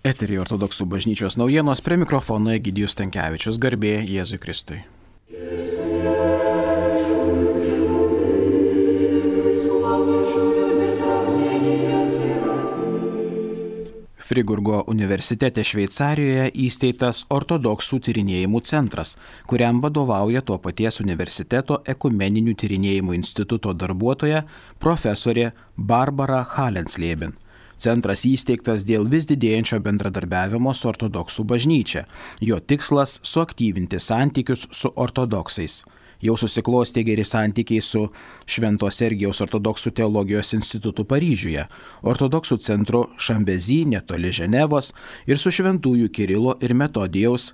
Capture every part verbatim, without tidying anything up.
Eteryje Ortodoksų bažnyčios naujienos, prie mikrofono Egidijus Stankevičius, garbė Jėzui Kristui. Friburgo universitete Šveicarijoje įsteigtas Ortodoksų tyrinėjimų centras, kuriam vadovauja to paties universiteto ekumeninių tyrinėjimų instituto darbuotoja profesorė Barbara Hallensleben. Centras įsteigtas dėl vis didėjančio bendradarbiavimo su ortodoksų bažnyčia. Jo tikslas – suaktyvinti santykius su ortodoksais. Jau susiklostė geri santykiai su Švento Sergijaus ortodoksų teologijos institutu Paryžiuje, ortodoksų centru Šambezy netoli Ženevos ir su Šventųjų Kirilo ir Metodijaus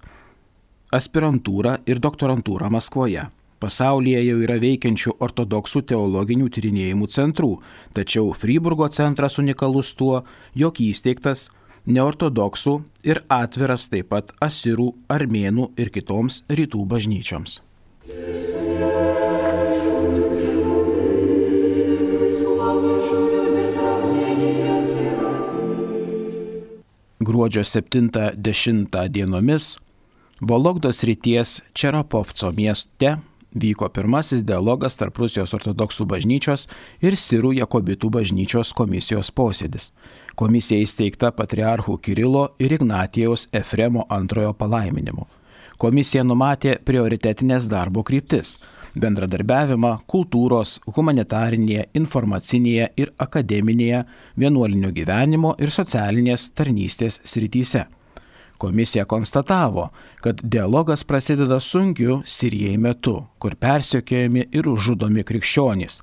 aspirantūra ir doktorantūra Maskvoje. Pasaulyje jau yra veikiančių ortodoksų teologinių tyrinėjimų centrų, tačiau Friburgo centras unikalus tuo, jog įsteigtas neortodoksų ir atviras taip pat asirų, armėnų ir kitoms rytų bažnyčioms. Gruodžio septintą dešimtą dienomis Vologdos srities Čerapovco mieste vyko pirmasis dialogas tarp Rusijos ortodoksų bažnyčios ir Sirų Jakobitų bažnyčios komisijos posėdis. Komisija įsteigta patriarchų Kirilo ir Ignatijaus Efremo antrojo palaiminimu. Komisija numatė prioritetinės darbo kryptis – bendradarbiavimą kultūros, humanitarinėje, informacinėje ir akademinėje, vienuolinio gyvenimo ir socialinės tarnystės srityse. Komisija konstatavo, kad dialogas prasideda sunkiu Sirijai metu, kur persekiojami ir žudomi krikščionys,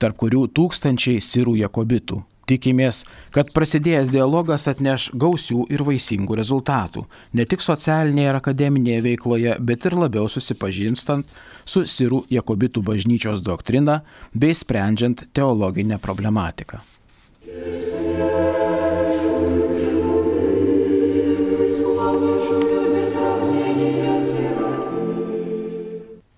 tarp kurių tūkstančiai Sirų Jakobitų. Tikimės, kad prasidėjęs dialogas atneš gausių ir vaisingų rezultatų, ne tik socialinėje ir akademinėje veikloje, bet ir labiau susipažinstant su Sirų Jakobitų bažnyčios doktrina bei sprendžiant teologinę problematiką.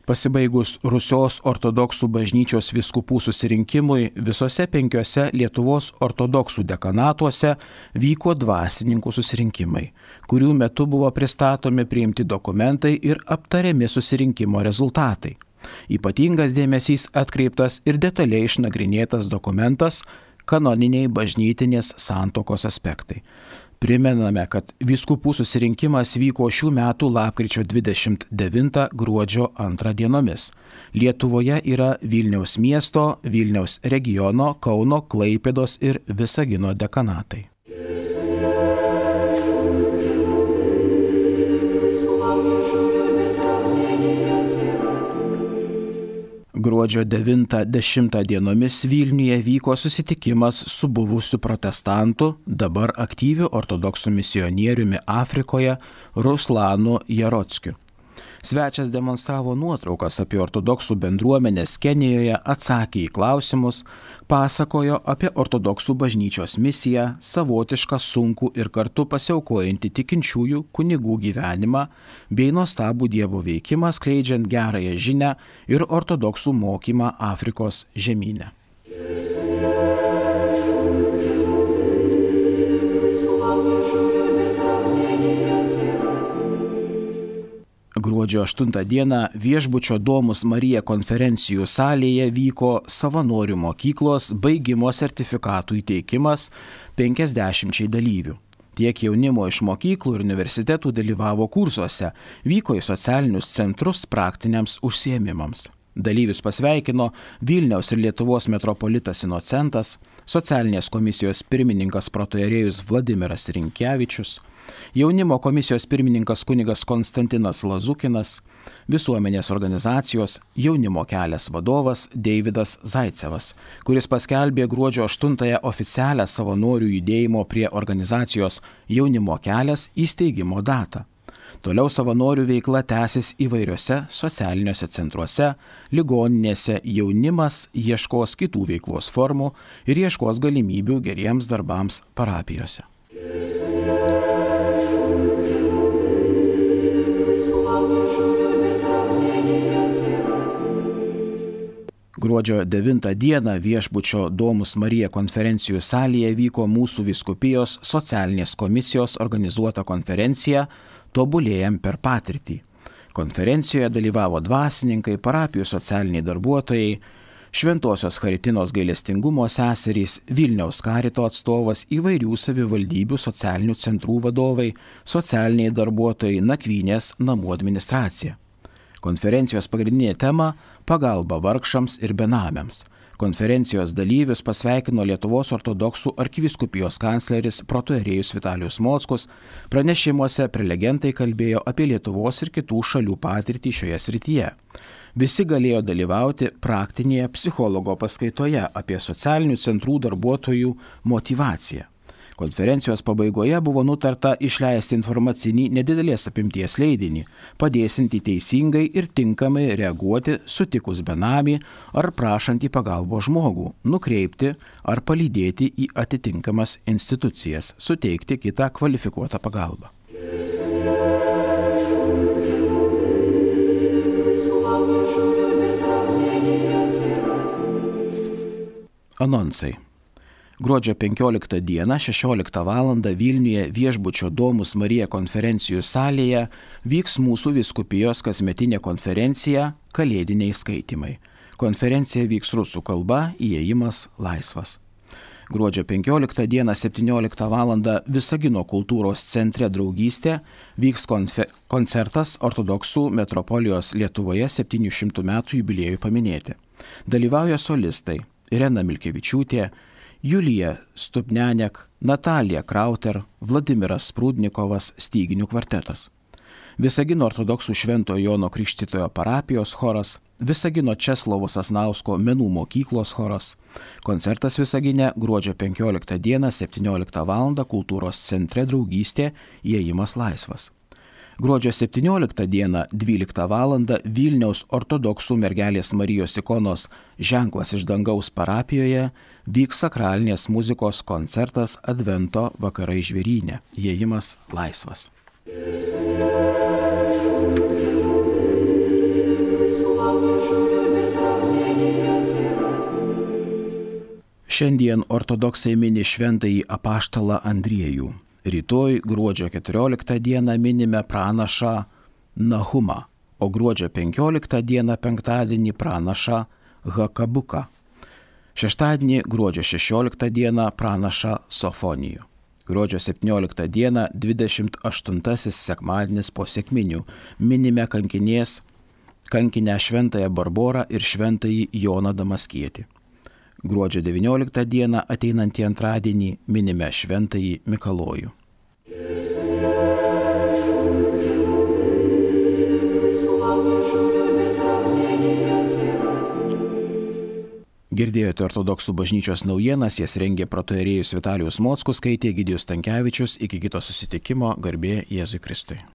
Pasibaigus Rusijos ortodoksų bažnyčios vyskupų susirinkimui, visose penkiose Lietuvos ortodoksų dekanatuose vyko dvasininkų susirinkimai, kurių metu buvo pristatomi priimti dokumentai ir aptariami susirinkimo rezultatai. Ypatingas dėmesys atkreiptas ir detaliai išnagrinėtas dokumentas kanoniniai bažnytinės santuokos aspektai. Primename, kad vyskupų susirinkimas vyko šių metų lapkričio dvidešimt devintą gruodžio antrą dienomis. Lietuvoje yra Vilniaus miesto, Vilniaus regiono, Kauno, Klaipėdos ir Visagino dekanatai. Gruodžio devintą dešimtą dienomis Vilniuje vyko susitikimas su buvusiu protestantu, dabar aktyviu ortodoksų misionieriumi Afrikoje Ruslanu Jarockiu. Svečias demonstravo nuotraukas apie ortodoksų bendruomenės Kenijoje, atsakė į klausimus, pasakojo apie ortodoksų bažnyčios misiją, savotišką sunkų ir kartu pasiaukojantį tikinčiųjų kunigų gyvenimą bei nuostabų Dievo veikimą skleidžiant gerąją žinią ir ortodoksų mokymą Afrikos žemyne. Gruodžio aštuntą dieną Viešbučio Domus Marija konferencijų salėje vyko savanorių mokyklos baigimo sertifikatų įteikimas penkiasdešimčiai dalyvių. Tiek jaunimo iš mokyklų ir universitetų dalyvavo kursuose, vyko į socialinius centrus praktiniams užsiėmimams. Dalyvius pasveikino Vilniaus ir Lietuvos metropolitas Inocentas, socialinės komisijos pirmininkas protoierėjus Vladimiras Rinkevičius, jaunimo komisijos pirmininkas kunigas Konstantinas Lazukinas, visuomenės organizacijos Jaunimo kelias vadovas Deividas Zaicevas, kuris paskelbė gruodžio aštuntąją oficialią savanorių judėjimo prie organizacijos Jaunimo kelias įsteigimo datą. Toliau savanorių veikla tęsis įvairiose socialiniuose centruose, ligoninėse, jaunimas ieškos kitų veiklos formų ir ieškos galimybių geriems darbams parapijose. Gruodžio Gruodžio devintą dieną Viešbučio Domus Marija konferencijų salėje vyko mūsų vyskupijos socialinės komisijos organizuota konferencija Tobulėjam per patirtį. Konferencijoje dalyvavo dvasininkai, parapijų socialiniai darbuotojai, Šventosios Charitinos gailestingumo seserys, Vilniaus karito atstovas, įvairių savivaldybių socialinių centrų vadovai, socialiniai darbuotojai, nakvynės namų administracija. Konferencijos pagrindinė tema – pagalba vargšams ir benamiams. Konferencijos dalyvius pasveikino Lietuvos ortodoksų arkivyskupijos kancleris protoierėjus Vitalijus Mockus. Pranešimuose prelegentai kalbėjo apie Lietuvos ir kitų šalių patirtį šioje srityje. Visi galėjo dalyvauti praktinėje psichologo paskaitoje apie socialinių centrų darbuotojų motyvaciją. Konferencijos pabaigoje buvo nutarta išleisti informacinį nedidelės apimties leidinį, padėsinti teisingai ir tinkamai reaguoti sutikus benamį ar prašantį pagalbos žmogų, nukreipti ar palydėti į atitinkamas institucijas, suteikti kitą kvalifikuotą pagalbą. Anonsai. Gruodžio penkioliktą dieną šešioliktą valandą Vilniuje Viešbučio Domus Marija konferencijų salėje vyks mūsų vyskupijos kasmetinė konferencija Kalėdiniai skaitymai. Konferencija vyks rusų kalba, įėjimas laisvas. Gruodžio penkioliktą dieną septynioliktą valandą Visagino kultūros centre Draugystė vyks konfe- koncertas ortodoksų metropolijos Lietuvoje septynių šimtų metų jubiliejui paminėti. Dalyvauja solistai Irena Milkevičiūtė, Julija Stupnianek, Natalija Krauter, Vladimiras Sprūdnikovas, styginių kvartetas. Visagino ortodoksų Švento Jono Krikštytojo parapijos choras, Visagino Česlovo Sasnausko menų mokyklos choras. Koncertas Visagine gruodžio penkioliktą dieną septynioliktą valandą kultūros centre Draugystė, įėjimas laisvas. Gruodžio septynioliktą dieną dvyliktą valandą Vilniaus ortodoksų mergelės Marijos ikonos Ženklas iš dangaus parapijoje vyks sakralinės muzikos koncertas Advento vakarai žvėryne, įėjimas laisvas. Šiandien ortodoksai mini šventąjį apaštalą Andriejų. Rytoj gruodžio keturioliktą dieną minime pranašą Nahumą, o gruodžio penkioliktą dieną penktadienį pranašą Hakabuką. Šeštadienį gruodžio šešioliktą dieną pranašą Sofonijų. Gruodžio septynioliktą dieną dvidešimt aštuntasis sekmadienis po sekminių minime kankinės, kankinę šventąją Barborą ir šventąjį Joną Damaskietį. Gruodžio devynioliktą dieną ateinantį antradienį minime šventąjį Mikalojų. Girdėjote ortodoksų bažnyčios naujienas, jas rengė protoierėjus Vitalijus Mockus, skaitė Egidijus Stankevičius. Iki kito susitikimo, garbė Jėzui Kristui.